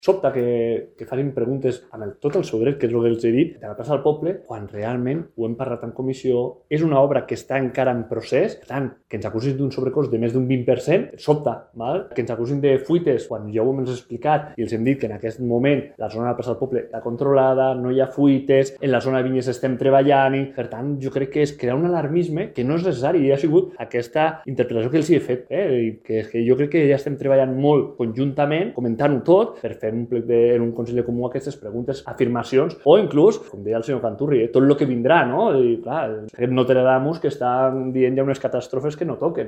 sobta que facin preguntes amb tot el seu dret, que és el que els he dit, de la plaça del poble, quan realment ho hem parlat en comissió, és una obra que està encara en procés, per tant, que ens acusin d'un sobrecost de més d'un 20%, sobta, val? Que ens acusin de fuites, quan ja ho hem explicat i els hem dit que en aquest moment la zona de la plaça del poble està controlada, no hi ha fuites, en la zona de vinyes estem treballant-hi, per tant, jo crec que és crear un alarmisme que no és necessari, i ha sigut aquesta interpretació que els he fet, i que jo crec que ja estem treballant molt conjuntament, comentant-ho tot, per fer en un Consell de Comú aquestes preguntes, afirmacions, o inclús, com deia el senyor Canturri, tot el que vindrà, no? I clar, aquest Nostradamus que estan dient ja unes catàstrofes que no toquen.